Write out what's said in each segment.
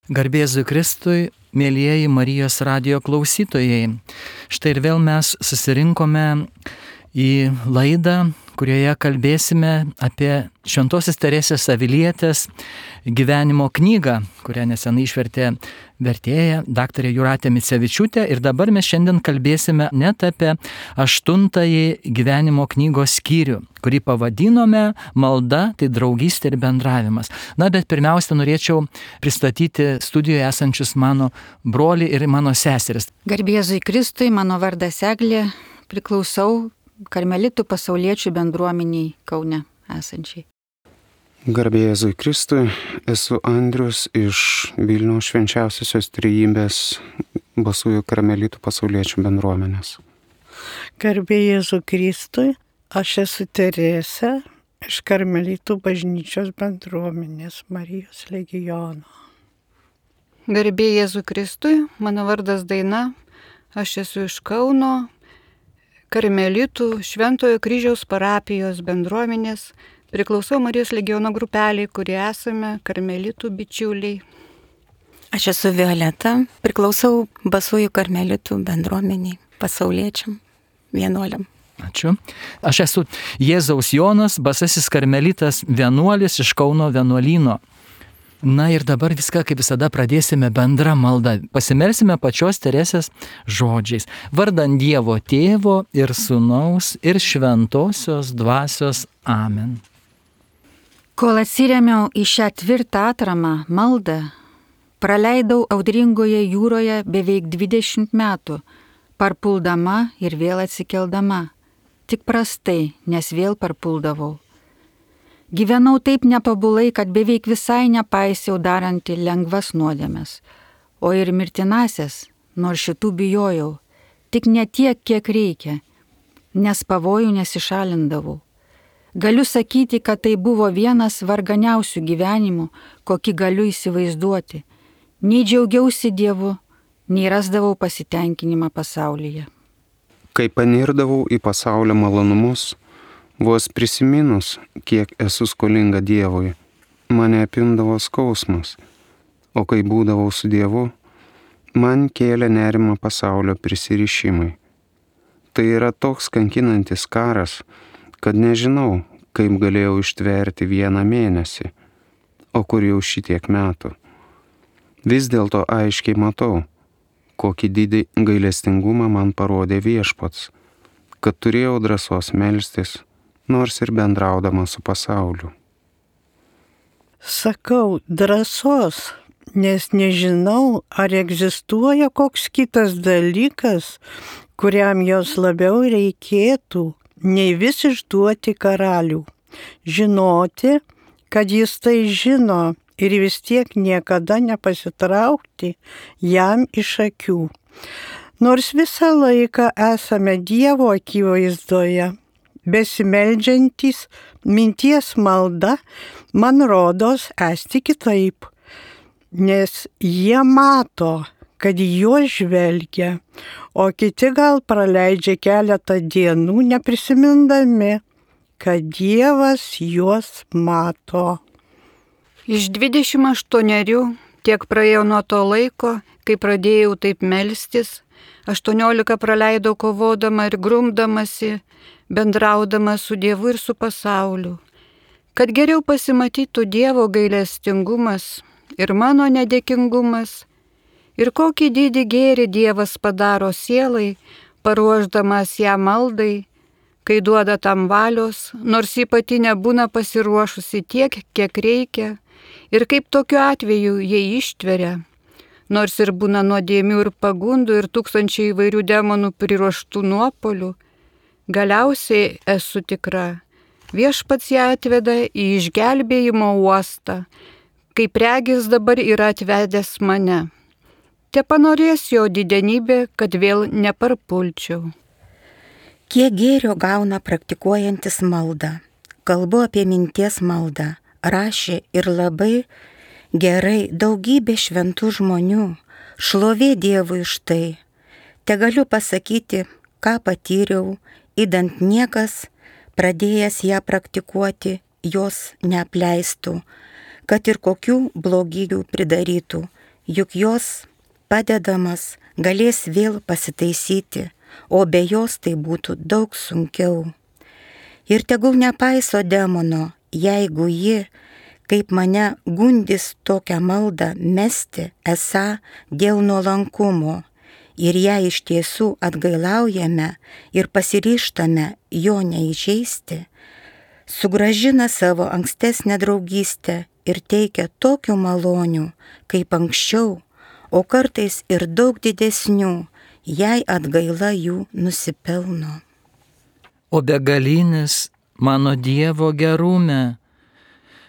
Garbė Jėzui Kristui, mėlyjeji Marijos radijo klausytojai. Štai ir vėl mes susirinkome į laidą, kurioje kalbėsime apie Šventosios Teresės Avilietės gyvenimo knygą, kurią nesenai išvertė vertėja daktarė Jūratė Micevičiūtė. Ir dabar mes šiandien kalbėsime net apie 8-ąjį gyvenimo knygos skyrių, kurį pavadinome Malda, tai draugystė ir bendravimas. Na, bet pirmiausia, norėčiau pristatyti studijoje esančius mano brolį ir mano seseris. Garbė Jėzui Kristui, mano vardas Eglė, priklausau Karmelitų pasauliečių bendruomeniai Kaune esančiai. Garbė Jėzui Kristui, esu Andrius iš Vilniaus Švenčiausiosios Trejybės Basųjų Karmelitų pasauliečių bendruomenės. Garbė Jėzui Kristui, aš esu Teresė iš Karmelitų bažnyčios bendruomenės Marijos legiono. Garbė Jėzui Kristui, mano vardas Daina, aš esu iš Kauno Karmelitų Šventojo Kryžiaus parapijos bendruomenės, priklausau Marijos legiono grupeliai, kurie esame Karmelitų bičiuliai. Aš esu Violeta, priklausau Basųjų Karmelitų bendruomeniai, pasauliečiam, vienuoliam. Ačiū. Aš esu Jėzaus Jonas, Basasis Karmelitas vienuolis iš Kauno vienuolyno. Na ir dabar viską, kaip visada, pradėsime bendrą maldą. Pasimelsime pačios Teresės žodžiais. Vardan Dievo Tėvo ir Sūnaus ir Šventosios Dvasios. Amen. Kol atsirėmiau į šią tvirtą atramą maldą, praleidau audringoje jūroje beveik 20 metų, parpuldama ir vėl atsikeldama. Tik prastai, nes vėl parpuldavau. Gyvenau taip netobulai, kad beveik visai nepaisiau darantį lengvas nuodėmes, o ir mirtinasias, nors šitų bijojau, tik ne tiek, kiek reikia, nes pavojų nesišalindavau. Galiu sakyti, kad tai buvo vienas varganiausių gyvenimų, kokį galiu įsivaizduoti. Nei džiaugiausi Dievu, nei rasdavau pasitenkinimą pasaulyje. Kai panirdavau į pasaulio malonumus, vos prisiminus, kiek esu skolinga Dievui, mane apimdavo skausmas, o kai būdavau su Dievu, man kėlė nerimą pasaulio prisirišimai. Tai yra toks kankinantis karas, kad nežinau, kaip galėjau ištverti 1 mėnesį, o kur jau šitiek metų. Vis dėlto aiškiai matau, kokį didį gailestingumą man parodė Viešpats, kad turėjau drąsos melstis, nors ir bendraudama su pasauliu. Sakau drąsos, nes nežinau, ar egzistuoja koks kitas dalykas, kuriam jos labiau reikėtų, nei vis išduoti karalių. Žinoti, kad jis tai žino ir vis tiek niekada nepasitraukti jam iš akių. Nors visą laiką esame Dievo akivaizdoje, besimeldžiantys minties malda, man rodos esti kitaip, nes jie mato, kad juos žvelgia, o kiti gal praleidžia keletą dienų neprisimindami, kad Dievas juos mato. Iš 28 tiek praėjo nuo to laiko, kai pradėjau taip melstis, 18 praleidau kovodama ir grumdamasi, bendraudama su Dievu ir su pasauliu, kad geriau pasimatytų Dievo gailestingumas ir mano nedėkingumas, ir kokį didį gėrį Dievas padaro sielai, paruošdamas ją maldai, kai duoda tam valios, nors ji pati nebūna pasiruošusi tiek, kiek reikia, ir kaip tokiu atveju jie ištveria, nors ir būna nuodėmių ir pagundų ir tūkstančiai įvairių demonų priruoštų nuopolių. Galiausiai esu tikra, Viešpats ją atveda į išgelbėjimo uostą, kaip regis dabar yra atvedęs mane. Tepanorės jo didenybė, kad vėl neparpulčiau. Kiek gėrio gauna praktikuojantis maldą. Kalbu apie minties maldą. Rašė ir labai gerai daugybė šventų žmonių. Šlovė Dievui už tai. Tegaliu pasakyti, ką patyriau, idant niekas, pradėjęs ją praktikuoti, jos neapleistų, kad ir kokių blogybių pridarytų, juk jos padedamas galės vėl pasitaisyti, o be jos tai būtų daug sunkiau. Ir tegul nepaiso demono, jeigu ji, kaip mane gundys tokią maldą mesti, esą dėl nuolankumo, ir ją iš tiesų atgailaujame ir pasiryžtame jo neįžeisti, sugrąžina savo ankstesnę draugystę ir teikia tokių malonių, kaip anksčiau, o kartais ir daug didesnių, jei atgaila jų nusipelno. O begalinis mano Dievo gerume,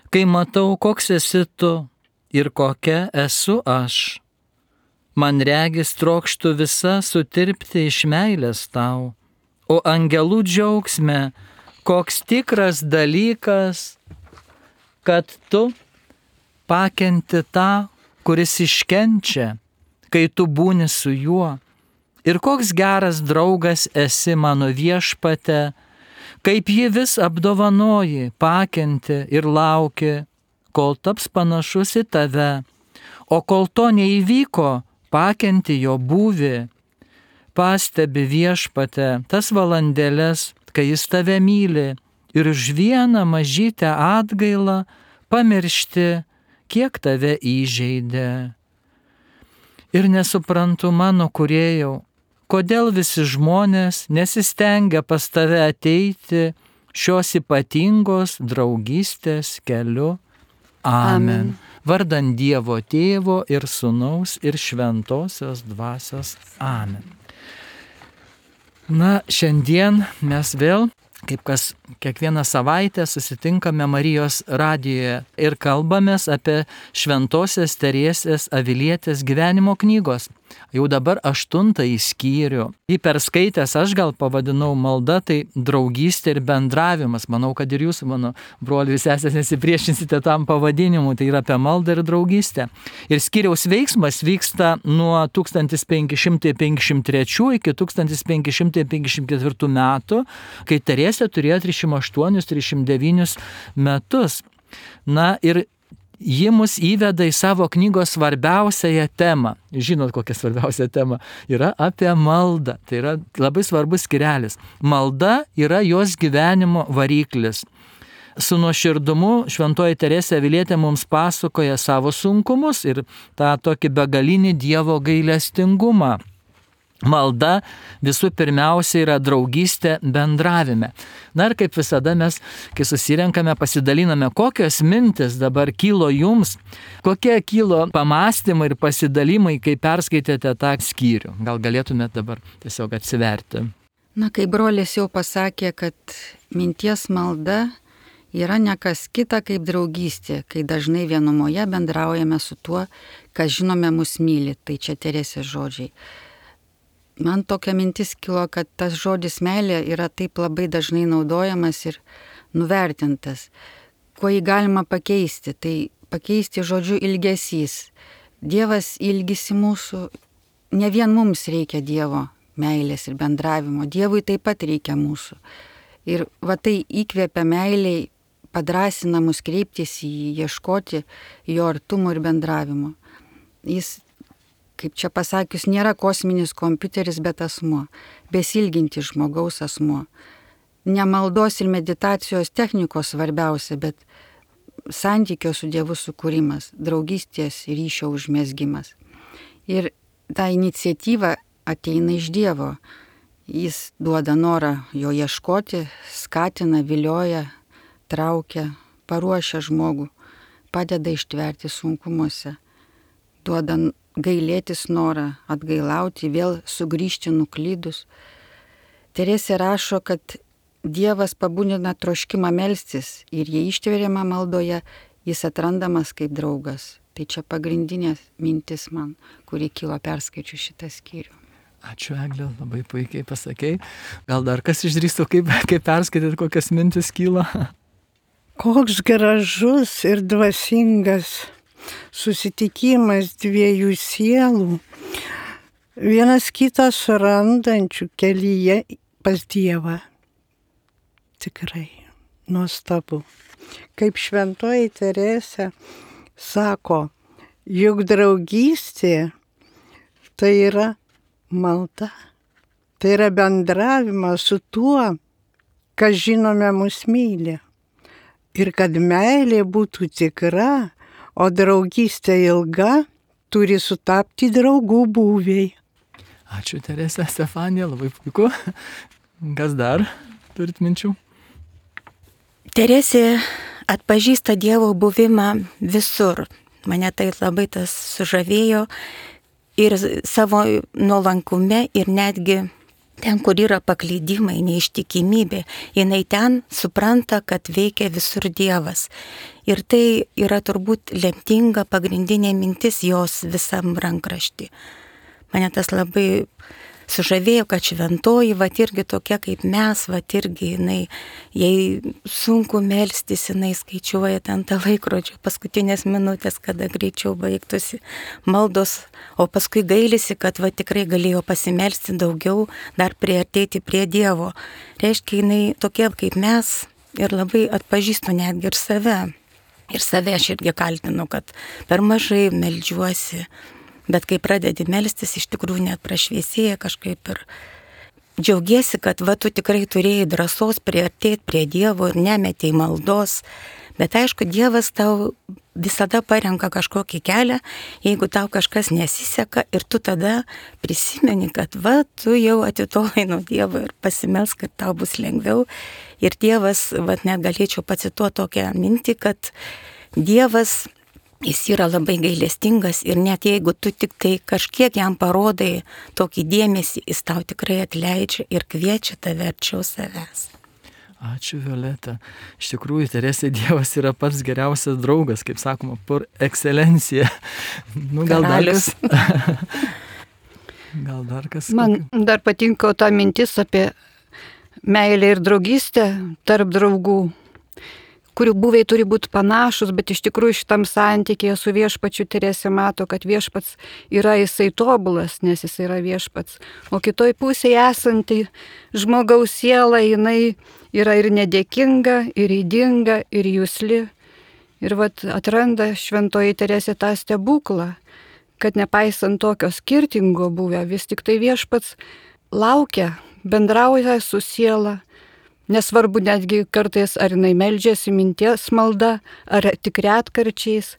kai matau, koks esi tu ir kokia esu aš, man regis trokštų visa sutirpti iš meilės tau, o angelų džiaugsme, koks tikras dalykas, kad tu pakenti tą, kuris iškenčia, kai tu būni su juo. Ir koks geras draugas esi mano Viešpate, kaip jį vis apdovanoji, pakenti ir lauki, kol taps panašus į tave, o kol to neįvyko, pakenti jo būvį. Pastebi Viešpate tas valandėles, kai jis tave myli, ir už vieną mažytę atgailą pamiršti, kiek tave įžeidė. Ir nesuprantu, mano Kūrėjau, kodėl visi žmonės nesistengia pas tave ateiti šios ypatingos draugystės keliu. Amen. Vardan Dievo Tėvo ir Sūnaus ir Šventosios Dvasios. Amen. Na, šiandien mes vėl, kaip kas kiekvieną savaitę, susitinkame Marijos radijoje ir kalbamės apie Šventosios Teresės Avilietės gyvenimo knygos. Jau dabar 8 skyrių. Jį perskaitęs aš gal pavadinau malda, tai draugystė ir bendravimas. Manau, kad ir jūs, mano broliai sesės, nesipriešinsite tam pavadinimu, tai yra apie maldą ir draugystę. Ir skyriaus veiksmas vyksta nuo 1553 iki 1554 metų, kai Teresė turėjo 308-309 metus. Na ir ji mus įveda į savo knygos svarbiausiąją temą. Žinot, kokia svarbiausia tema? Yra apie maldą. Tai yra labai svarbus skyrelis. Malda yra jos gyvenimo variklis. Su nuoširdumu Šventoji Teresė Avilietė mums pasakoja savo sunkumus ir tą tokį begalinį Dievo gailestingumą. Malda visų pirmiausia yra draugystė bendravime. Na ir kaip visada mes, kai susirenkame, pasidaliname, kokios mintis dabar kilo jums, kokie kilo pamastymai ir pasidalimai, kai perskaitėte tą skyrių. Gal galėtumėte dabar tiesiog atsiverti. Na, kai brolis jau pasakė, kad minties malda yra ne kas kita kaip draugystė, kai dažnai vienumoje bendraujame su tuo, kas žinome mus myli. Tai čia Teresės žodžiai. Man tokia mintis kilo, kad tas žodis meilė yra taip labai dažnai naudojamas ir nuvertintas. Kuo jį galima pakeisti? Tai pakeisti žodžiu ilgesys. Dievas ilgisi mūsų, ne vien mums reikia Dievo meilės ir bendravimo, Dievui taip pat reikia mūsų. Ir va tai įkvėpia meiliai, padrasina mus kreiptis į jį, ieškoti jo artumo ir bendravimo. Jis, kaip čia pasakius, nėra kosminis kompiuteris, bet asmuo, besilginti žmogaus asmuo. Ne maldos ir meditacijos technikos svarbiausia, bet santykio su Dievu sukūrimas, draugystės ryšio užmezgimas. Ir ta iniciatyva ateina iš Dievo. Jis duoda norą jo ieškoti, skatina, vilioja, traukia, paruošia žmogų, padeda ištverti sunkumuose, duoda gailėtis norą, atgailauti, vėl sugrįžti nuklydus. Teresė rašo, kad Dievas pabudina troškimą melstis ir jei ištveriama maldoje, jis atrandamas kaip draugas. Tai čia pagrindinė mintis man, kuri kilo perskaičiu šitą skyrių. Ačiū, Eglė, labai puikiai pasakei. Gal dar kas išdrįstų, kaip perskaityti, kokias mintis kyla? Koks gražus ir dvasingas susitikimas dviejų sielų, vienas kitą surandančių kelyje pas Dievą. Tikrai nuostabu. Kaip Šventoji Teresė sako, Juk draugystė tai yra malda. Tai yra bendravimas su tuo, kas žinome mus myli. Ir kad meilė būtų tikra, o draugystė ilga, turi sutapti draugų būviai. Ačiū, Terese, Stefanija, labai puiku. Kas dar turit minčių? Teresė atpažįsta Dievo buvimą visur. Mane tai labai tas sužavėjo ir savo nuolankume ir netgi ten, kur yra paklydimai, neištikimybė, jinai ten supranta, kad veikia visur Dievas. Ir tai yra turbūt lemtinga pagrindinė mintis jos visam rankraštį. Mane tas labai sužavėjo, kad šventoji, vat irgi tokia kaip mes, vat irgi jinai, jai sunku melstis, jinai skaičiuoja ten tą laikrodžio paskutinės minutės, kada greičiau baigtųsi maldos, o paskui gailisi, kad va tikrai galėjo pasimelsti daugiau, dar priartėti prie Dievo. Reiškia, jinai tokia kaip mes ir labai atpažįstu netgi ir save. Ir save aš irgi kaltinu, kad per mažai meldžiuosi. Bet kai pradedi melstis, iš tikrųjų net prašviesėja kažkaip ir džiaugiesi, kad va tu tikrai turėjai drąsos priartėti prie Dievo ir nemetėjai maldos. Bet aišku, Dievas tau visada parenka kažkokį kelią, jeigu tau kažkas nesiseka ir tu tada prisimeni, kad va tu jau atitolai nuo Dievo ir pasimelsk, kad tau bus lengviau. Ir Dievas, va net galėčiau pacituoti tokią mintį, kad Dievas, jis yra labai gailestingas ir net jeigu tu tik tai kažkiek jam parodai tokį dėmesį, jis tau tikrai atleidžia ir kviečia tave arčiau savęs. Ačiū, Violeta. Iš tikrųjų, Teresė, Dievas yra pats geriausias draugas, kaip sakoma, por ekscelencija. Gal dar kas? Man dar patinka ta mintis apie meilę ir draugystę tarp draugų, kurių būviai turi būti panašus, bet iš tikrųjų šitam santykėje su viešpačiu Teresė mato, kad viešpats yra jisai tobulas, nes jis yra viešpats. O kitoj pusėje esanti žmogaus siela, jinai yra ir nedėkinga, ir ydinga, ir jusli. Ir vat atranda šventoji Teresė tą stebuklą, kad nepaisant tokio skirtingo buvę, vis tik tai viešpats laukia, bendrauja su siela. Nesvarbu netgi kartais, ar jinai meldžiasi minties malda, ar tik retkarčiais.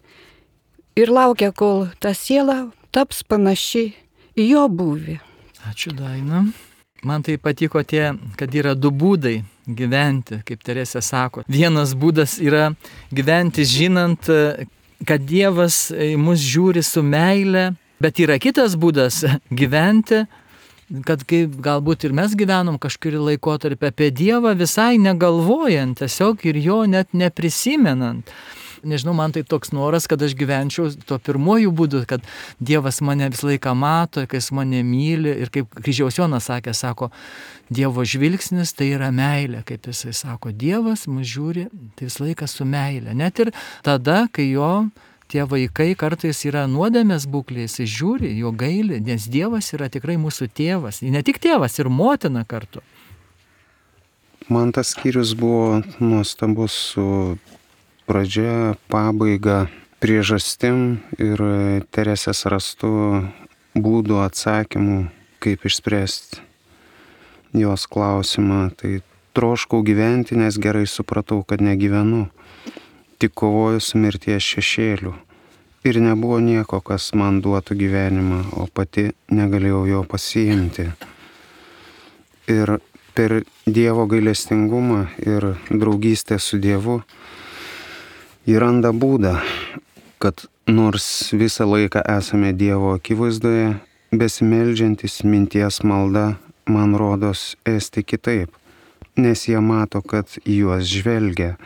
Ir laukia, kol ta siela taps panaši į jo būvį. Ačiū, Daina. Man tai patiko kad yra du būdai gyventi, kaip Teresė sako. Vienas būdas yra gyventi žinant, kad Dievas į mus žiūri su meile, bet yra kitas būdas gyventi, kad kaip galbūt ir mes gyvenom kažkurį laikotarpį apie Dievą visai negalvojant, tiesiog ir jo net neprisimenant. Nežinau, man tai toks noras, kad aš gyvenčiau tuo pirmojų būdu, kad Dievas mane visą laiką mato, kai jis mane myli ir kaip Kryžiaus Jonas sako, Dievo žvilgsnis tai yra meilė, kaip jisai sako, Dievas mus žiūri tai visą laiką su meilė. Net ir tada, kai jo tie vaikai kartais yra nuodėmės būklės, jis žiūri, jo gaili, nes Dievas yra tikrai mūsų tėvas. Ne tik tėvas, ir motina kartu. Man tas skyrius buvo nuostabus su pradžia, pabaiga, priežastim ir Teresės rastu būdų, atsakymų, kaip išspręsti jos klausimą. Tai troškau gyventi, nes gerai supratau, kad negyvenu. Tik kovoju su mirties šešėliu. Ir nebuvo nieko, kas man duotų gyvenimą, o pati negalėjau jo pasiimti. Ir per Dievo gailestingumą ir draugystę su Dievu įranda būdą, kad nors visą laiką esame Dievo akivaizdoje, besimeldžiantis minties malda, man rodos, esti kitaip, nes jie mato, kad juos žvelgia,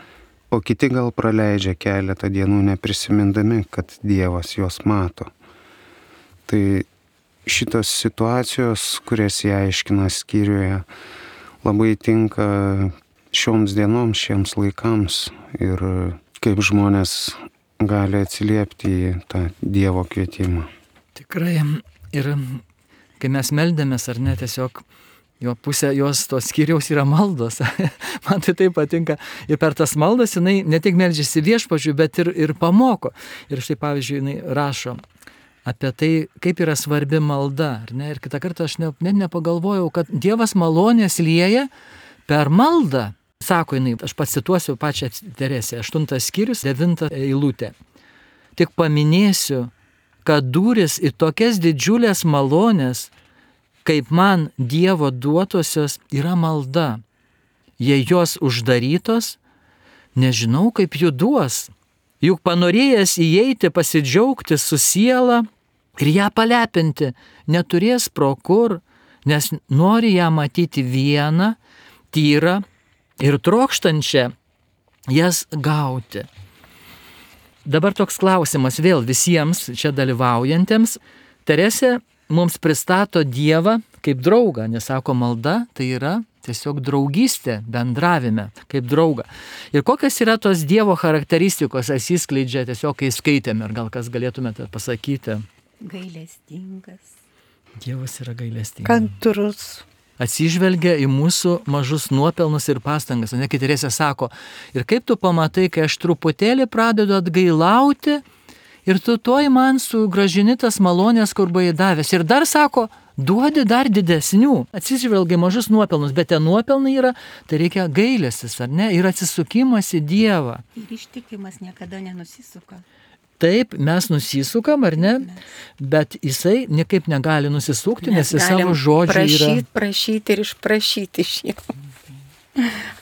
o kiti gal praleidžia keletą dienų neprisimindami, kad Dievas juos mato. Tai šitos situacijos, kurias jie aiškina skyriuje, labai tinka šioms dienoms, šiems laikams ir kaip žmonės gali atsiliepti į tą Dievo kvietimą. Tikrai. Ir kai mes meldėmės ar ne, tiesiog jo pusė jos tos skyriaus yra maldos. Man tai patinka. Ir per tas maldas jinai ne tik meldžiasi viešpačiui, bet ir pamoko. Ir štai pavyzdžiui, jinai rašo apie tai, kaip yra svarbi malda. Ir kitą kartą aš net nepagalvojau, kad Dievas malonės lieja per maldą. Sako jinai, aš pacituosiu pačią Teresę, 8 skyrius, 9 eilutė. Tik paminėsiu, kad durys į tokias didžiulės malonės, kaip man Dievo duotosios, yra malda. Jei jos uždarytos, nežinau, kaip jų duos. Juk panorėjęs įeiti, pasidžiaugti su siela ir ją palepinti, neturės pro kur, nes nori ją matyti vieną, tyrą ir trokštančią jas gauti. Dabar toks klausimas vėl visiems čia dalyvaujantiems. Teresė mums pristato Dievą kaip draugą, nes sako, malda tai yra tiesiog draugystė, bendravime, kaip draugą. Ir kokios yra tos Dievo charakteristikos atsiskleidžia tiesiog, kai skaitėme, ir gal kas galėtumėte pasakyti? Gailestingas. Dievas yra gailestingas. Kantrus. Atsižvelgia į mūsų mažus nuopelnus ir pastangas. O ne, kai Teresė sako, ir kaip tu pamatai, kai aš truputėlį pradedu atgailauti, ir tu toj man sugrąžini tas malonės, kur buvai davęs. Ir dar sako, duodi dar didesnių. Atsižvelgia mažus nuopelnus, bet tie nuopelnai yra, tai reikia gailestis, ar ne? Ir atsisukimas į Dievą. Ir ištikimas niekada nenusisuka. Taip, mes nusisukam, ar ne? Bet jisai niekaip negali nusisukti, nes jis savo žodžiu yra... Prašyti ir išprašyti iš jo.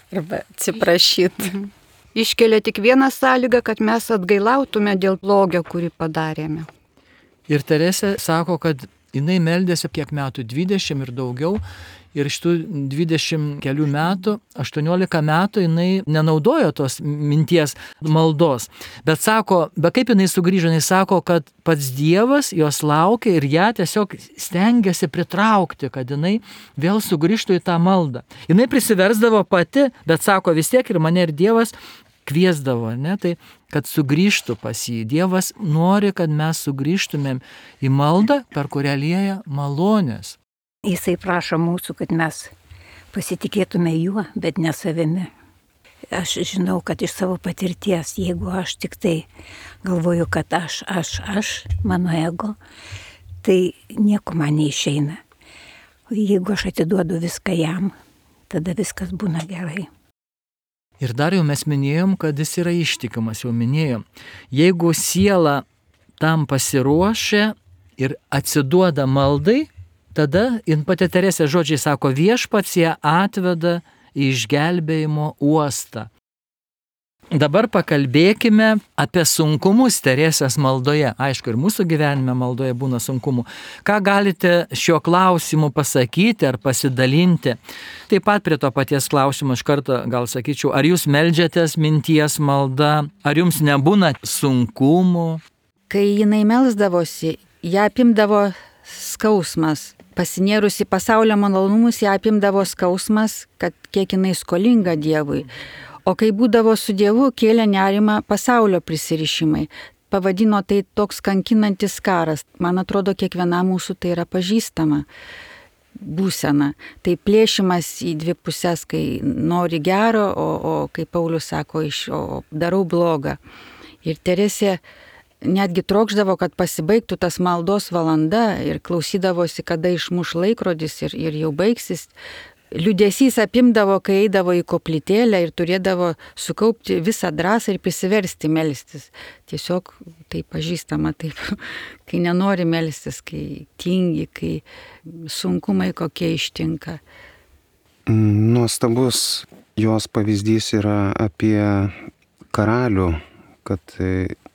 Arba atsiprašyti. Iškelia tik vieną sąlygą, kad mes atgailautume dėl blogio, kurį padarėme. Ir Teresė sako, kad jinai meldėsi kiek metų, 20 ir daugiau. Ir šitų 20 kelių metų, 18 metų jinai nenaudojo tos minties maldos. Bet sako, bet kaip jinai sugrįžo, jinai sako, kad pats Dievas jos laukia ir ją tiesiog stengiasi pritraukti, kad jinai vėl sugrįžtų į tą maldą. Jinai prisiversdavo pati, bet sako, vis tiek ir mane ir Dievas kviesdavo, ne? Tai kad sugrįžtų pas jį. Dievas nori, kad mes sugrįžtumėm į maldą, per kurią lieja malonės. Jisai prašo mūsų, kad mes pasitikėtume juo, bet ne savimi. Aš žinau, kad iš savo patirties, jeigu aš tik tai galvoju, kad aš, mano ego, tai nieko man neišeina. O jeigu aš atiduodu viską jam, tada viskas būna gerai. Ir dar jau mes minėjom, kad jis yra ištikimas, jau minėjom. Jeigu siela tam pasiruošia ir atsiduoda maldai, tada pati Teresė žodžiai sako, viešpats ją atveda į išgelbėjimo uostą. Dabar pakalbėkime apie sunkumus Teresės maldoje. Aišku, ir mūsų gyvenime maldoje būna sunkumų. Ką galite šiuo klausimu pasakyti ar pasidalinti? Taip pat prie to paties klausimo iš karto gal sakyčiau, ar jūs meldžiatės minties malda, ar jums nebūna sunkumų? Kai jinai melsdavosi, ją apimdavo skausmas. Pasinėrusi pasaulio malonumus, ją apimdavo skausmas, kad kiek jinai skolinga Dievui. O kai būdavo su Dievu, kėlė nerimą pasaulio prisirišimai. Pavadino tai toks kankinantis karas. Man atrodo, kiekvienam mūsų tai yra pažįstama būsena. Tai plėšimas į dvi pusės, kai nori gero, o kaip Paulius sako, darau blogą. Ir Teresė netgi trokšdavo, kad pasibaigtų tas maldos valanda ir klausydavosi, kada išmuš laikrodis ir jau baigsis. Liūdesys apimdavo, kai eidavo į koplytėlę ir turėdavo sukaupti visą drąsą ir prisiversti melstis. Tiesiog tai pažįstama taip, kai nenori melstis, kai tingi, kai sunkumai kokie ištinka. Nuostabus jos pavyzdys yra apie karalių, kad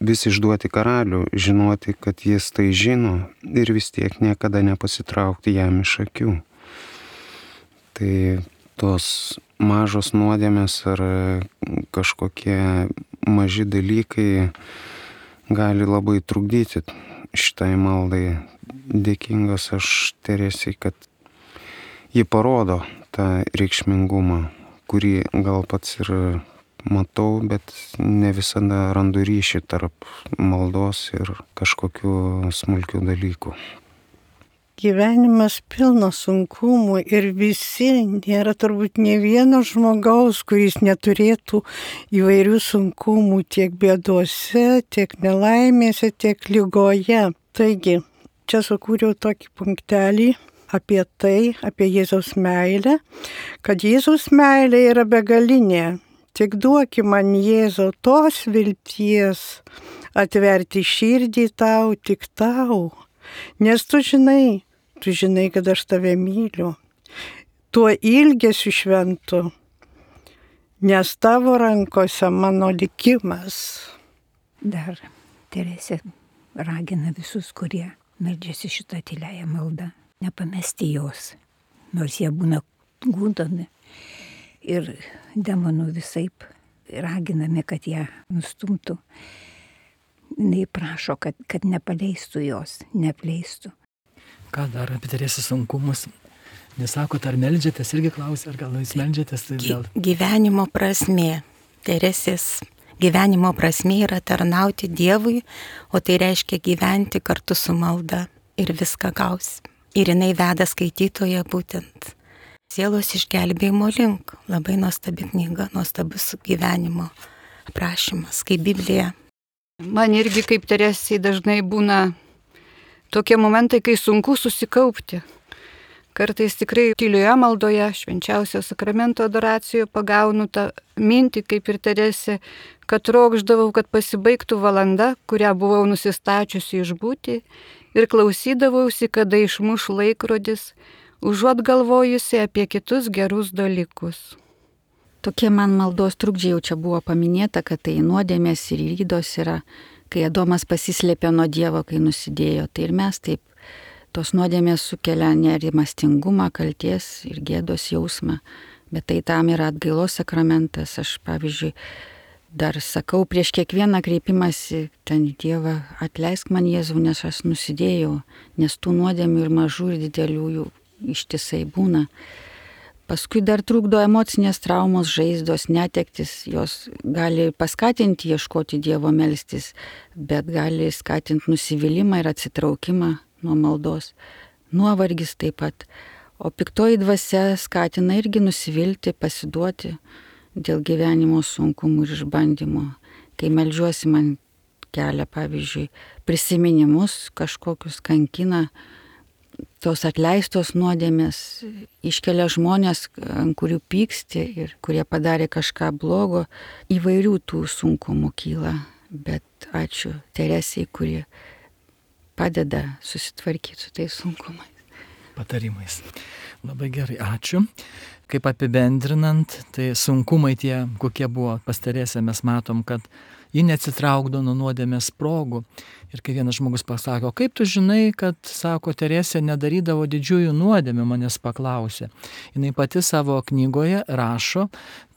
vis išduoti karalių, žinoti, kad jis tai žino ir vis tiek niekada nepasitraukti jam iš akių. Tai tos mažos nuodėmės ar kažkokie maži dalykai gali labai trukdyti šitai maldai. Dėkingas aš Teresei, kad ji parodo tą reikšmingumą, kurį gal pats ir matau, bet ne visada randu ryšį tarp maldos ir kažkokių smulkių dalykų. Gyvenimas pilnas sunkumų ir visi, nėra turbūt ne vieno žmogaus, kuris neturėtų įvairių sunkumų tiek bėdose, tiek nelaimėse, tiek lygoje. Taigi, čia sukūriau tokį punktelį apie tai, apie Jėzaus meilę, kad Jėzaus meilė yra begalinė. Tik duoki man, Jėzau, tos vilties atverti širdį tau, tik tau. Nes tu žinai, kad aš tave myliu. Tuo ilgesiu šventu, nes tavo rankose mano likimas. Dar Teresė ragina visus, kurie meldžiasi šitą tyliąją maldą, nepamesti jos, nors jie būna gundomi ir demonų visaip raginami, kad ją nustumtų. Jis prašo, kad nepaleistų jos, neapleistų. Ką dar apie Teresės sunkumus? Nesakot, ar meldžiatės, irgi klausia, ar gal jūs meldžiatės? Tai gal... Gyvenimo prasmė. Teresės gyvenimo prasmė yra tarnauti Dievui, o tai reiškia gyventi kartu su malda ir viską gausi. Ir jinai veda skaitytoją būtent sielos išgelbėjimo link. Labai nuostabi knyga, nuostabus gyvenimo aprašymas, kaip Biblija. Man irgi kaip Teresei dažnai būna tokie momentai, kai sunku susikaupti. Kartais tikrai tylioje maldoje, švenčiausio sakramento adoracijoje pagaunu tą mintį, kaip ir Teresė, kad trokšdavau, kad pasibaigtų valanda, kurią buvau nusistačiusi išbūti, ir klausydavausi, kada išmuš laikrodis, užuot galvojusi apie kitus gerus dalykus. Tokie man maldos trukdžiai jau čia buvo paminėta, kad tai nuodėmės ir įdos yra, kai Adomas pasislėpė nuo Dievo, kai nusidėjo. Tai ir mes taip, tos nuodėmės sukelia nerimastingumą, kalties ir gėdos jausmą, bet tai tam yra atgailos sakramentas. Aš, pavyzdžiui, dar sakau prieš kiekvieną kreipimąsi ten į Dievą, atleisk man Jėzau, nes aš nusidėjau, nes tų nuodėmių ir mažų ir didelių jų ištisai būna. Paskui dar trukdo emocinės traumos, žaizdos, netektis, jos gali paskatinti ieškoti Dievo melstis, bet gali skatinti nusivylimą ir atsitraukimą nuo maldos. Nuovargis taip pat. O piktoji dvasia skatina irgi nusivilti, pasiduoti dėl gyvenimo sunkumų ir išbandymų. Kai meldžiuosi, man kelia, pavyzdžiui, prisiminimus kažkokius, kankina. Tos atleistos nuodėmės iškelia žmonės, ant kurių pyksti ir kurie padarė kažką blogo. Įvairių tų sunkumų kyla, bet ačiū Teresei, kuri padeda susitvarkyti su tais sunkumais. Patarimais. Labai gerai, ačiū. Kaip apibendrinant, tai sunkumai tie, kokie buvo pas Teresę, mes matom, kad ji neatsitraukdo nuo nuodėmės progų. Ir kai vienas žmogus pasako, kaip tu žinai, kad, sako, Teresė nedarydavo didžiųjų nuodėmių, manęs paklausė. Jinai pati savo knygoje rašo,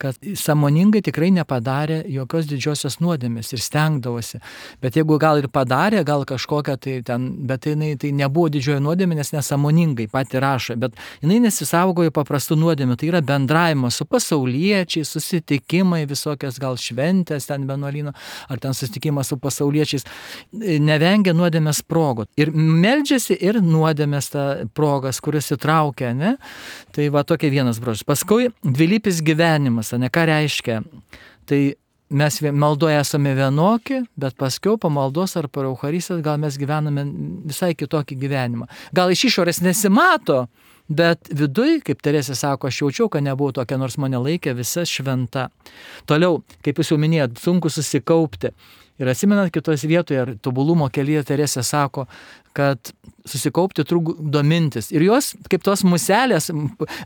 kad sąmoningai tikrai nepadarė jokios didžiosios nuodėmės ir stengdavosi. Bet jeigu gal ir padarė, gal kažkokią tai ten, bet jinai tai nebuvo didžioji nuodėmė, nes nesąmoningai pati rašo. Bet jinai nesisaugojo paprastų nuodėmių. Tai yra bendravimas su pasauliečiais, susitikimai, visokios gal šventės ten vienuolyno, ar ten susitikimas su pasauliečiais. Nevengia nuodėmės progų. Ir meldžiasi ir nuodėmės tą progas, kuris įtraukia, ne? Tai va tokia vienas brožas. Paskui dvilypis gyvenimas, ne, ką reiškia? Tai mes maldoje esame vienokie, bet paskiau po maldos ar po Eucharistijos gal mes gyvename visai kitokį gyvenimą. Gal iš išorės nesimato, bet viduj, kaip Teresė sako, aš jaučiau, kad nebuvau tokia, nors mane laikė visa šventa. Toliau, kaip jūs jau minėjot, sunku susikaupti. Ir atsimenat, kitos vietoje, ar tobulumo kelyje Teresė sako, kad susikaupti trukdo mintis. Ir jos, kaip tos muselės,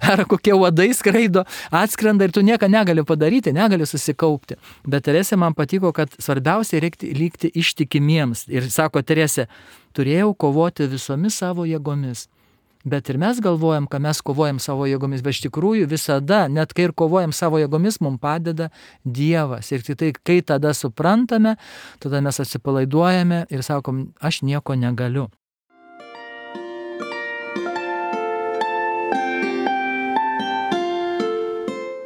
ar kokie uodai skraido, atskrenda ir tu nieko negali padaryti, negali susikaupti. Bet Teresė man patiko, kad svarbiausia reikia likti ištikimiems. Ir sako Teresė, turėjau kovoti visomis savo jėgomis. Bet ir mes galvojam, kad mes kovojam savo jėgomis, bet iš tikrųjų visada, net kai ir kovojam savo jėgomis, mums padeda Dievas. Ir tai, kai tada suprantame, tada mes atsipalaiduojame ir sakom, aš nieko negaliu.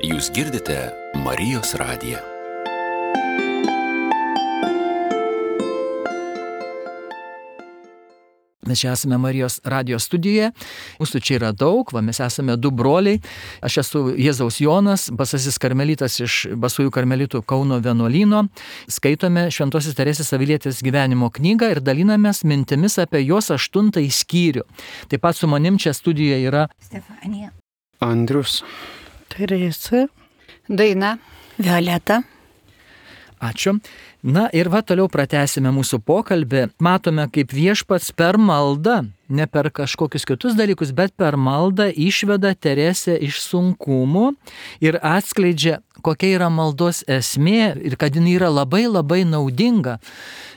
Jūs girdite Marijos radiją. Mes čia esame Marijos radijo studijoje, mūsų čia yra daug, mes esame 2 broliai, aš esu Jėzaus Jonas, basasis karmelitas iš Basųjų karmelitų Kauno vienuolyno, skaitome Šventosios Teresės Avilietės gyvenimo knygą ir dalinamės mintimis apie jos 8 skyrių. Taip pat su manim čia studijoje yra Stefanija, Andrius, Teresa, Daina, Violeta. Ačiū. Na ir toliau pratęsime mūsų pokalbį. Matome, kaip Viešpats per maldą, ne per kažkokius kitus dalykus, bet per maldą išveda Teresę iš sunkumų ir atskleidžia, kokia yra maldos esmė ir kad jinai yra labai labai naudinga.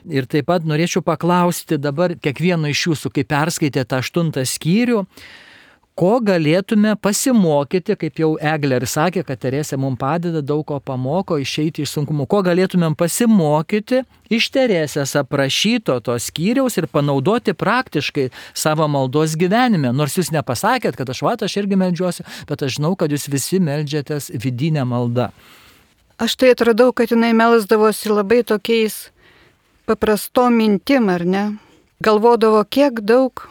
Ir taip pat norėčiau paklausti dabar kiekvieno iš jūsų, kai perskaitėte 8 skyrių, ko galėtume pasimokyti, kaip jau Eglė ir sakė, kad Teresė mums padeda, daug ko pamoko išeiti iš sunkumų, ko galėtumėm pasimokyti iš Teresės aprašyto to skyriaus ir panaudoti praktiškai savo maldos gyvenime. Nors jūs nepasakėt, kad aš irgi meldžiuosi, bet aš žinau, kad jūs visi meldžiatės vidinę maldą. Aš tai atradau, kad jinai melsdavosi labai tokiais paprastom mintim, ar ne? Galvodavo, kiek daug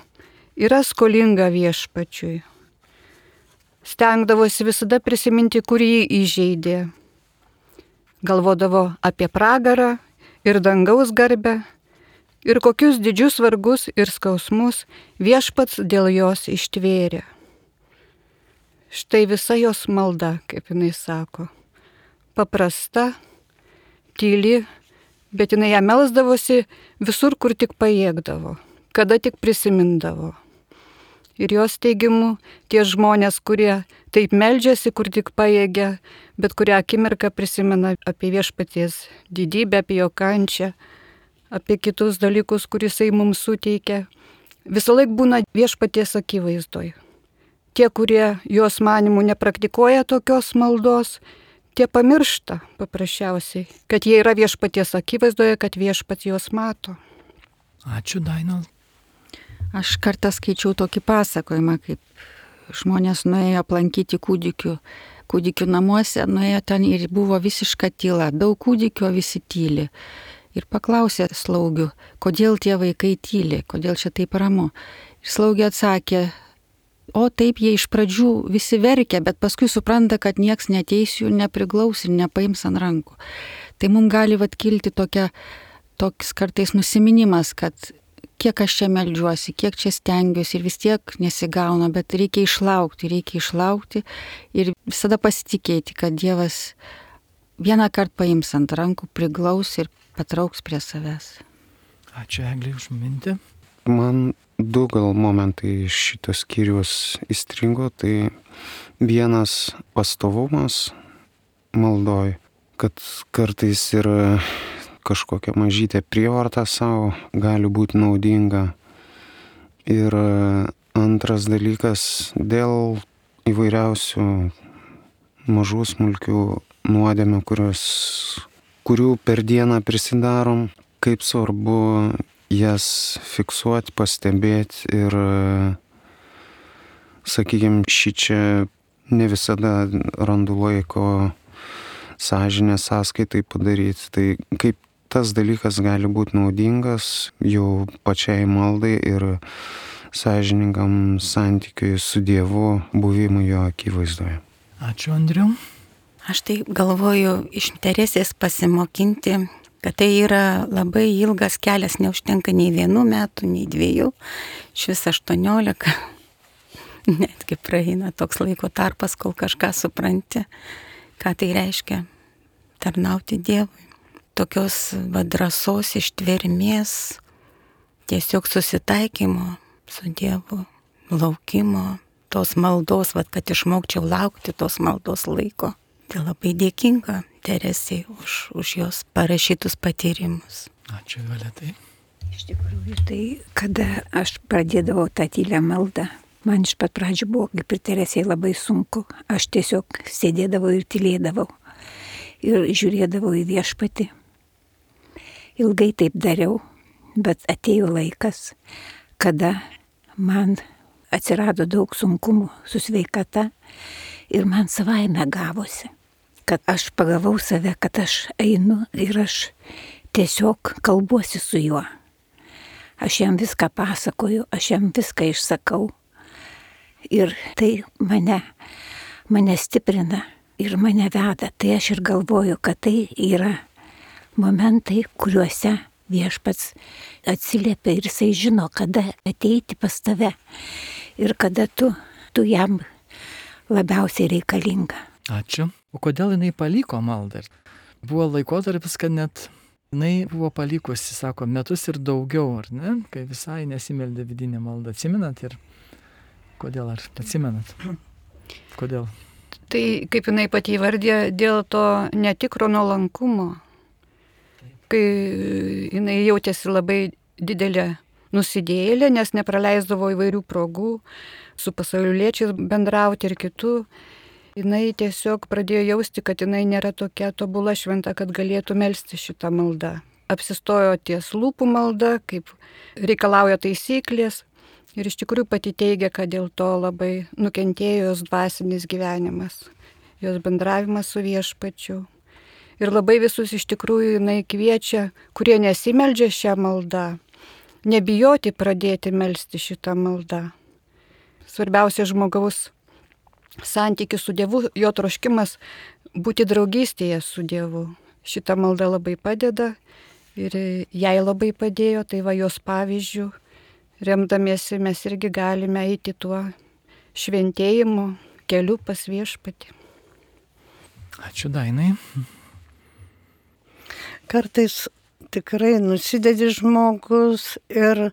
yra skolinga Viešpačiui. Stengdavosi visada prisiminti, kur jį įžeidė. Galvodavo apie pragarą ir dangaus garbę ir kokius didžius vargus ir skausmus Viešpats dėl jos ištvėrė. Štai visa jos malda, kaip jinai sako. Paprasta, tyli, bet jinai ją melsdavosi visur, kur tik pajėgdavo, kada tik prisimindavo. Ir jos teigimu, tie žmonės, kurie taip meldžiasi, kur tik pajėgia, bet kurią akimirką prisimena apie Viešpaties didybę, apie jo kančią, apie kitus dalykus, kuris jisai mums suteikia, visą laiką būna Viešpaties akivaizdoj. Tie, kurie jos manimų nepraktikuoja tokios maldos, tie pamiršta paprasčiausiai, kad jie yra Viešpaties akivaizdoje, kad Viešpats juos mato. Ačiū, Daina. Aš kartą skaičiau tokį pasakojimą, kaip žmonės nuėjo aplankyti kūdikių namuose, nuėjo ten ir buvo visiška tyla, daug kūdikio, visi tyli. Ir paklausė slaugių, kodėl tie vaikai tyli, kodėl čia taip ramu. Ir slaugė atsakė, o taip jie iš pradžių visi verkia, bet paskui supranta, kad nieks neteis jų, nepriglaus ir nepaims ant rankų. Tai mums gali kilti toks kartais nusiminimas, kad kiek aš čia meldžiuosi, kiek čia stengiuosi ir vis tiek nesigauna, bet reikia išlaukti ir visada pasitikėti, kad Dievas vieną kartą paims ant rankų, priglaus ir patrauks prie savęs. Ačiū, Eglė, už mintį. Man 2 gal momentai iš šitos skyrius įstrigo, tai vienas pastovumas maldoj, kad kartais ir kažkokia mažytė prievarta savo gali būti naudinga. Ir antras dalykas, dėl įvairiausių mažų smulkių nuodėmių, kurių per dieną prisidarom, kaip svarbu jas fiksuoti, pastebėti ir, sakykime, šičia ne visada randu laiko sąžinės sąskaitai padaryti. Tai kaip tas dalykas gali būti naudingas jau pačiai maldai ir sąžiningam santykiui su Dievu, buvimui jo akivaizdoje. Ačiū, Andriu. Aš tai galvoju iš Teresės pasimokinti, kad tai yra labai ilgas kelias, neužtenka nei 1 metų, nei 2, iš vis 18. Netgi praeina toks laiko tarpas, kol kažką supranti, ką tai reiškia tarnauti Dievui. Tokios drąsos, ištvermės, tiesiog susitaikymo su Dievu, laukimo, tos maldos, kad išmokčiau laukti tos maldos laiko. Tai labai dėkinga Teresei už jos parašytus patyrimus. Ačiū, Violetai. Iš tikrųjų, tai kada aš pradėdavau tą tylę maldą, man iš pat pradžių buvo, kaip ir Teresei, labai sunku. Aš tiesiog sėdėdavau ir tylėdavau ir žiūrėdavau į Viešpatį. Ilgai taip dariau, bet atėjo laikas, kada man atsirado daug sunkumų su sveikata ir man savaime gavosi, kad aš pagavau save, kad aš einu ir aš tiesiog kalbuosi su juo. Aš jam viską pasakoju, aš jam viską išsakau. Ir tai mane stiprina ir mane veda. Tai aš ir galvoju, kad tai yra momentai, kuriuose Viešpats atsiliepia ir jisai žino, kada ateiti pas tave ir kada tu jam labiausiai reikalinga. Ačiū. O kodėl jinai paliko maldą? Buvo laikotarpis, kad net jinai buvo palikusi, sako, metus ir daugiau, ar ne? Kai visai nesimeldė vidinę maldą. Atsimenat ir kodėl, ar atsimenat? Kodėl? Tai kaip jinai pati įvardė, dėl to netikro nuolankumo. Kai jinai jautėsi labai didelė nusidėjėlė, nes nepraleisdavo įvairių progų su pasauliečiais bendrauti ir kitų. Jinai tiesiog pradėjo jausti, kad jinai nėra tokia tobula šventa, kad galėtų melsti šitą maldą. Apsistojo ties lūpų malda, kaip reikalauja taisyklės. Ir iš tikrųjų pati teigia, kad dėl to labai nukentėjo jos dvasinis gyvenimas, jos bendravimas su Viešpačiu. Ir labai visus iš tikrųjų jinai kviečia, kurie nesimeldžia šią maldą, nebijoti pradėti melsti šitą maldą. Svarbiausia žmogaus santykis su Dievu, jo troškimas būti draugystėje su Dievu. Šita malda labai padeda ir jai labai padėjo, tai va jos pavyzdžių, remdamiesi mes irgi galime eiti tuo šventėjimu keliu pas Viešpatį. Ačiū, Dainai. Kartais tikrai nusidedi žmogus ir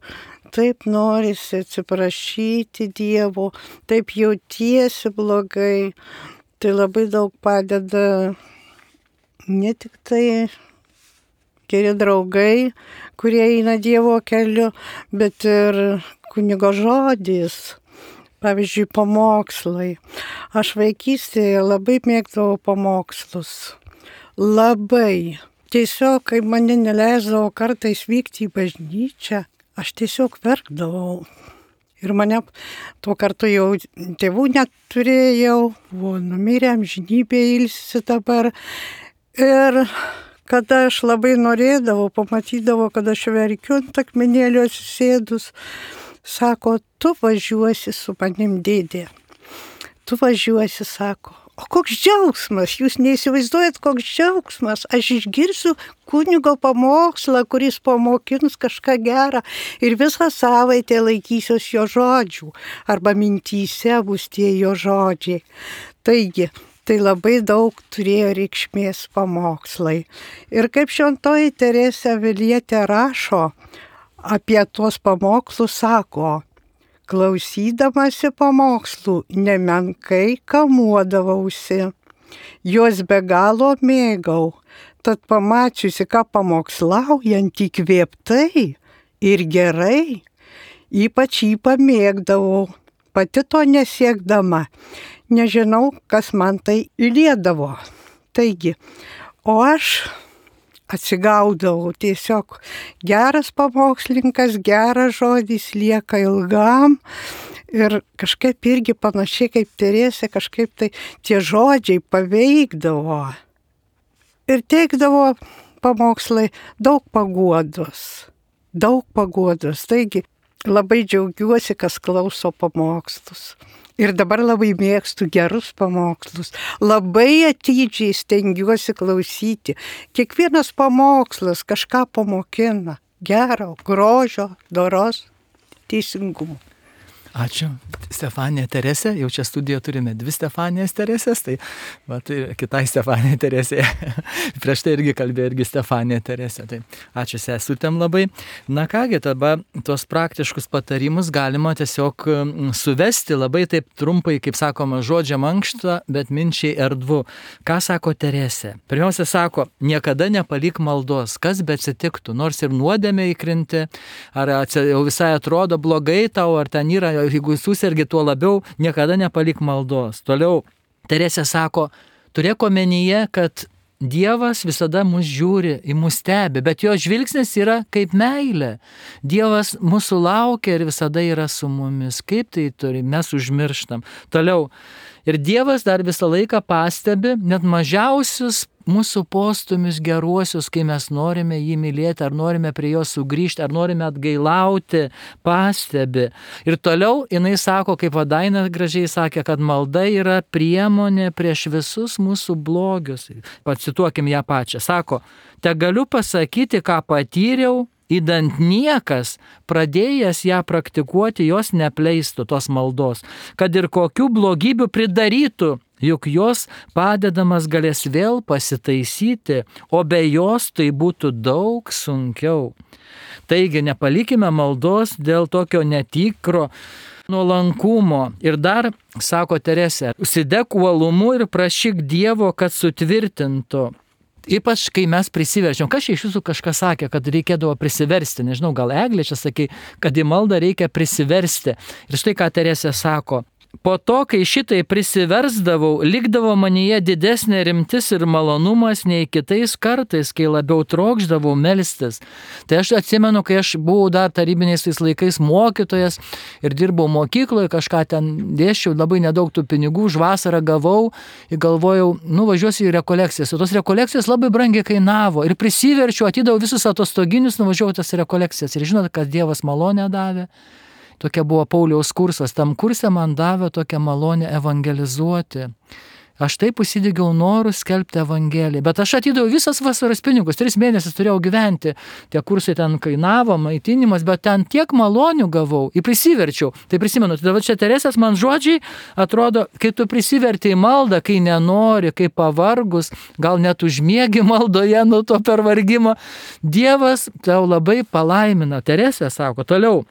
taip norisi atsiprašyti Dievo, taip jautiesi blogai. Tai labai daug padeda ne tik tai geri draugai, kurie eina Dievo keliu, bet ir kunigo žodis. Pavyzdžiui, pamokslai. Aš vaikystėje labai mėgdavau pamokslus. Labai. Tiesiog, kai mane neleisdavo kartais vykti į bažnyčią, aš tiesiog verkdavau. Ir mane tuo kartu jau tėvų neturėjau, buvo numirę, amžinybė ilsisi dabar. Ir kada aš labai norėdavau, pamatydavau, kad aš verkiu ant akmenėlio atsisėdus, sako, tu važiuosi su manim, dėdė. Tu važiuosi, sako. O koks džiaugsmas, jūs neįsivaizduojat, koks džiaugsmas, aš išgirsiu kunigo pamokslą, kuris pamokins kažką gerą ir visą savaitę laikysiuos jo žodžių, arba mintyse bus tie jo žodžiai. Taigi, tai labai daug turėjo reikšmės pamokslai. Ir kaip šventoji Teresė Avilietė rašo apie tuos pamokslus, sako, klausydamasi pamokslų nemenkai kamuodavausi, juos be galo mėgau, tad pamačiusi, ką pamokslaujant įkvėptai ir gerai, ypač jį pamėgdavau, pati to nesiekdama, nežinau, kas man tai įliedavo. Taigi, o aš atsigaudavau, tiesiog geras pamokslininkas, geras žodis lieka ilgam ir kažkaip irgi panašiai kaip Teresė, kažkaip tai tie žodžiai paveikdavo ir teikdavo pamokslai daug paguodos. Taigi labai džiaugiuosi, kas klauso pamokslus. Ir dabar labai mėgstu gerus pamokslus. Labai atidžiai stengiuosi klausyti. Kiekvienas pamokslas kažką pamokina. Gero, grožio, doros, teisingumo. Ačiū. Stefanija Teresė, jau čia studijoje turime 2 Stefanijas Teresės, tai kitai Stefanija Teresė. Prieš tai irgi kalbėjo irgi Stefanija Teresė. Tai ačiū sesutėm labai. Na kągi, tada tuos praktiškus patarimus galima tiesiog suvesti labai taip trumpai, kaip sakoma, žodžia mankštą, bet minčiai erdvu. Ką sako Teresė? Pirmiausia sako, niekada nepalik maldos, kas beatsitiktų, nors ir nuodėmė įkrinti, ar jau visai atrodo blogai tau, ar ten yra, jeigu susergi, tuo labiau niekada nepalik maldos. Toliau Teresė sako, turėk omenyje, kad Dievas visada mus žiūri, į mus stebi, bet jo žvilgsnis yra kaip meilė. Dievas mūsų laukia ir visada yra su mumis. Kaip tai turi, mes užmirštam. Toliau, Ir Dievas dar visą laiką pastebi net mažiausius mūsų postumius geruosius, kai mes norime jį mylėti, ar norime prie jo sugrįžti, ar norime atgailauti, pastebi. Ir toliau jinai sako, kaip Daina gražiai sakė, kad malda yra priemonė prieš visus mūsų blogius. Pacituokim ją pačią. Sako, te galiu pasakyti, ką patyriau, įdant niekas, pradėjęs ją praktikuoti, jos nepleistų tos maldos, kad ir kokių blogybių pridarytų, juk jos padedamas galės vėl pasitaisyti, o be jos tai būtų daug sunkiau. Taigi nepalikime maldos dėl tokio netikro nuolankumo. Ir dar, sako Teresė, užsidek uolumu ir prašyk Dievo, kad sutvirtintų. Ypač, kai mes prisiverčiam. Kas iš jūsų kažkas sakė, kad reikėdavo prisiversti. Nežinau, gal Eglė čia sakė, kad į maldą reikia prisiversti. Ir štai ką Teresė sako. Po to, kai šitai prisiversdavau, likdavo manyje didesnė rimtis ir malonumas nei kitais kartais, kai labiau trokšdavau melstis. Tai aš atsimenu, kai aš buvau dar tarybiniais tais laikais mokytojas ir dirbau mokykloje, kažką ten dėsčiau, labai nedaug tų pinigų, už vasarą gavau ir galvojau, važiuosiu į rekolekcijas. O tos rekolekcijos labai brangiai kainavo ir prisiverčiau, atidavau visus atostoginius, nuvažiavau tas rekolekcijas. Ir žinot, kad Dievas malonę davė. Tokia buvo Pauliaus kursas. Tam kurse man davė tokią malonę evangelizuoti. Aš taip užsidegiau norų skelbti evangeliją. Bet aš atidaviau visas vasaros pinigus. 3 mėnesius turėjau gyventi. Tie kursai ten kainavo, maitinimas, bet ten tiek malonių gavau. Ir prisiverčiau. Tai prisimenu, tai dabar čia Teresės man žodžiai atrodo, kai tu prisiverti į maldą, kai nenori, kai pavargus, gal net užmiegi maldoje nuo to pervargimo, Dievas tau labai palaimina. Teresė sako, toliau.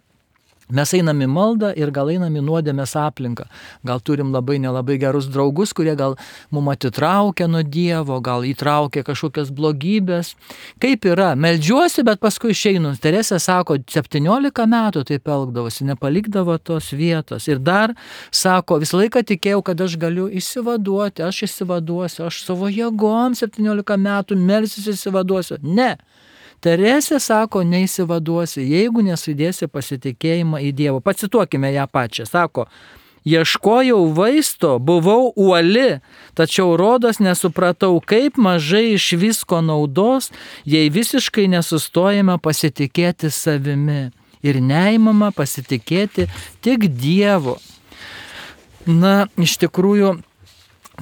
Mes einam į maldą ir gal einam į nuodėmės aplinką. Gal turim labai nelabai gerus draugus, kurie gal mum atitraukia nuo Dievo, gal įtraukia kažkokias blogybės. Kaip yra? Meldžiuosi, bet paskui išeinu. Teresė sako, 17 metų taip elgdavosi, nepalikdavo tos vietos. Ir dar sako, visą laiką tikėjau, kad aš galiu išsivaduoti, aš išsivaduosiu, aš savo jėgom 17 metų melsiuosi išsivaduosiu. Ne. Teresė sako, neįsivaduosi, jeigu nesudėsi pasitikėjimą į Dievą. Pacituokime ją pačią. Sako, ieškojau vaisto, buvau uoli, tačiau rodos nesupratau, kaip mažai iš visko naudos, jei visiškai nesustojame pasitikėti savimi ir neįmama pasitikėti tik Dievu. Na, iš tikrųjų,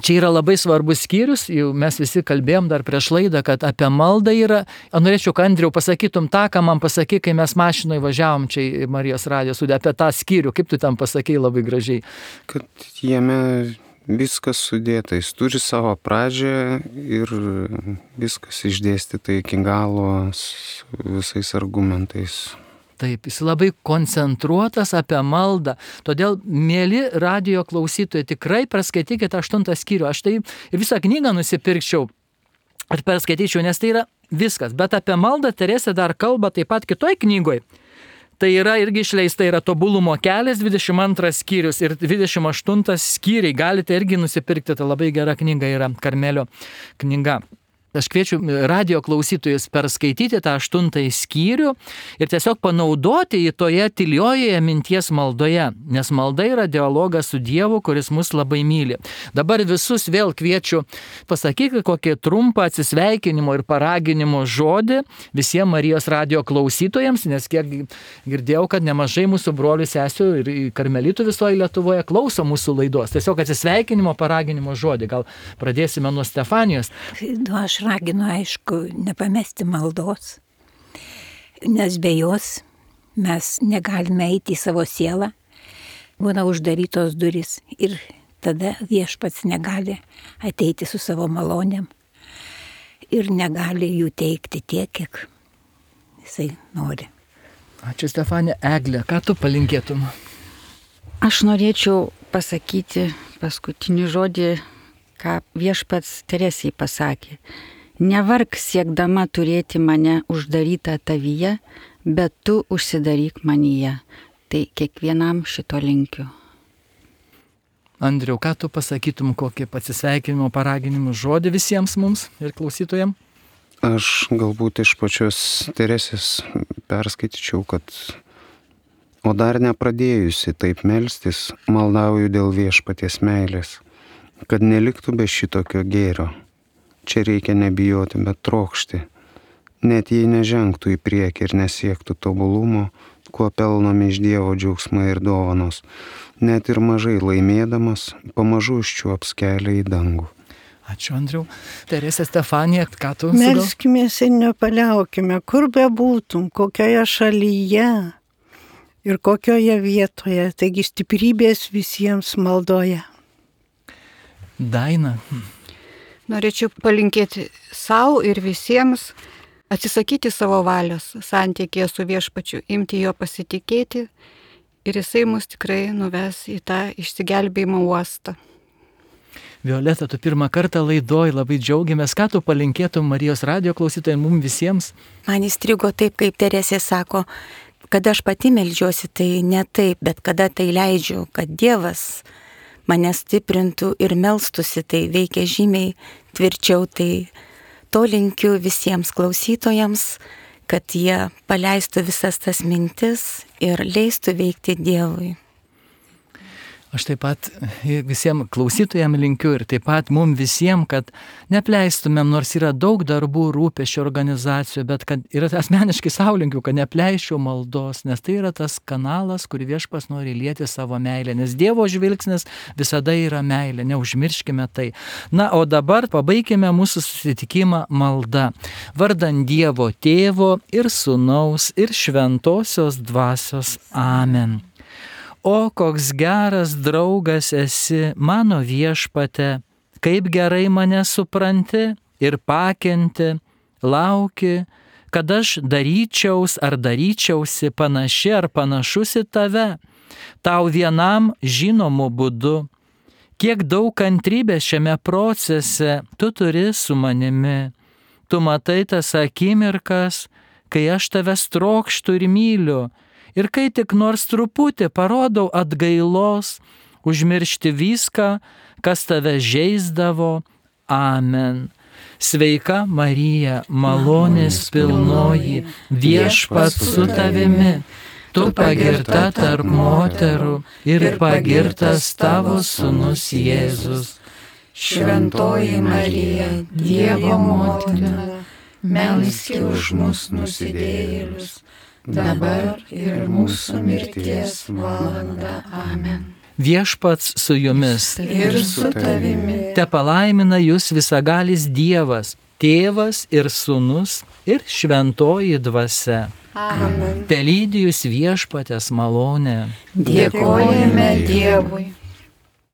čia yra labai svarbus skyrius, jau mes visi kalbėjom dar prieš laidą, kad apie maldą yra. Norėčiau, kad Andriau pasakytum tą, ką man pasakė, kai mes mašinoje važiavom čia į Marijos radijo studiją, apie tą skyrių. Kaip tu tam pasakei labai gražiai? Kad jame viskas sudėta, jis turi savo pradžią ir viskas išdėstyta iki galo visais argumentais. Taip, jis labai koncentruotas apie maldą. Todėl, mėly radijo klausytojai, tikrai perskaitykite 8 skyrių. Aš tai ir visą knygą nusipirkčiau ir perskaityčiau, nes tai yra viskas. Bet apie maldą Teresė dar kalba taip pat kitoj knygoje. Tai yra irgi išleista, yra Tobulumo kelias, 22 skyrius ir 28 skyriai. Galite irgi nusipirkti, tai labai gera knyga yra, Karmelio knyga. Aš kviečiu radijo klausytojus perskaityti tą 8 skyrių ir tiesiog panaudoti į toje tyliojoje minties maldoje, nes malda yra dialogas su Dievu, kuris mus labai myli. Dabar visus vėl kviečiu pasakyti kokį trumpą atsisveikinimo ir paraginimo žodį visiems Marijos radijo klausytojams, nes kiek girdėjau, kad nemažai mūsų brolių sesių ir karmelitų visoje Lietuvoje klauso mūsų laidos. Tiesiog atsisveikinimo, paraginimo žodį. Gal pradėsime nuo Stefanijos. Aš raginu, aišku, nepamesti maldos, nes be jos mes negalime eiti į savo sielą, būna uždarytos durys ir tada viešpats negali ateiti su savo malonėm ir negali jų teikti tiek, kiek jisai nori. Ačiū, Stefanija. Eglė, ką tu palinkėtum? Aš norėčiau pasakyti paskutinį žodį, ką viešpats Teresei pasakė. Nevark siekdama turėti mane uždarytą tavyje, bet tu užsidaryk manyje. Tai kiekvienam šito linkiu. Andriau, ką tu pasakytum, kokį pasisveikinimo paraginimų žodį visiems mums ir klausytojams? Aš galbūt iš pačios Teresės perskaityčiau, kad o dar nepradėjusi taip melstis, maldauju dėl viešpaties meilės, kad neliktų be šitokio gėrio. Čia reikia nebijoti, bet trokšti. Net jei nežengtų į priekį ir nesiektų tobulumo, kuo pelnomi iš Dievo džiaugsmai ir dovanos, net ir mažai laimėdamas, pamažu užčiuops kelią į dangų. Ačiū, Andriau. Teresė, Stefanija, ką tu melskimės ir nepaliaukime, kur bebūtum, kokioje šalyje ir kokioje vietoje, taigi stiprybės visiems maldoje. Daina. Norėčiau palinkėti savo ir visiems atsisakyti savo valios santykėje su Viešpačiu, imti jo pasitikėti ir jisai mus tikrai nuves į tą išsigelbėjimo uostą. Violeta, tu pirmą kartą laidoj, labai džiaugiamės. Ką tu palinkėtum Marijos radijo klausytojams, mums visiems? Man įstrigo taip, kaip Teresė sako, kad aš pati meldžiuosi, tai ne taip, bet kada tai leidžiu, kad Dievas mane stiprintų ir melstusi, tai veikia žymiai tvirčiau. Tai to linkiu visiems klausytojams, kad jie paleistų visas tas mintis ir leistų veikti Dievui. Aš taip pat visiems klausytojams linkiu ir taip pat mums visiems, kad nepleistumėm, nors yra daug darbų, rūpesčių organizacijų, bet kad ir asmeniškai savo linkiu, kad nepleisčiau maldos, nes tai yra tas kanalas, kur Viešpas nori lieti savo meilę, nes Dievo žvilgsnis visada yra meilė, neužmirškime tai. Na, o dabar pabaikime mūsų susitikimą malda. Vardan Dievo Tėvo ir Sūnaus ir Šventosios Dvasios. Amen. O koks geras draugas esi, mano Viešpate, kaip gerai mane supranti ir pakenti, lauki, kad aš daryčiausi panaši ar panašus į tave, tau vienam žinomu būdu. Kiek daug kantrybės šiame procese tu turi su manimi. Tu matai tas akimirkas, kai aš tavęs trokštu ir myliu, ir kai tik nors truputį parodau atgailos, užmiršti viską, kas tave žeisdavo. Amen. Sveika Marija, malonės pilnoji, Viešpats su tavimi, tu pagirta tarp moterų ir pagirtas tavo sūnus Jėzus. Šventoji Marija, Dievo motina, melski už mus nusidėjėlius, dabar ir mūsų mirties valanda. Amen. Viešpats su jumis. Ir su tavimi. Te palaimina jūs visagalis Dievas, Tėvas ir Sūnus ir Šventoji Dvasia. Amen. Te lydi jūs Viešpaties malonė. Dėkojame Dievui.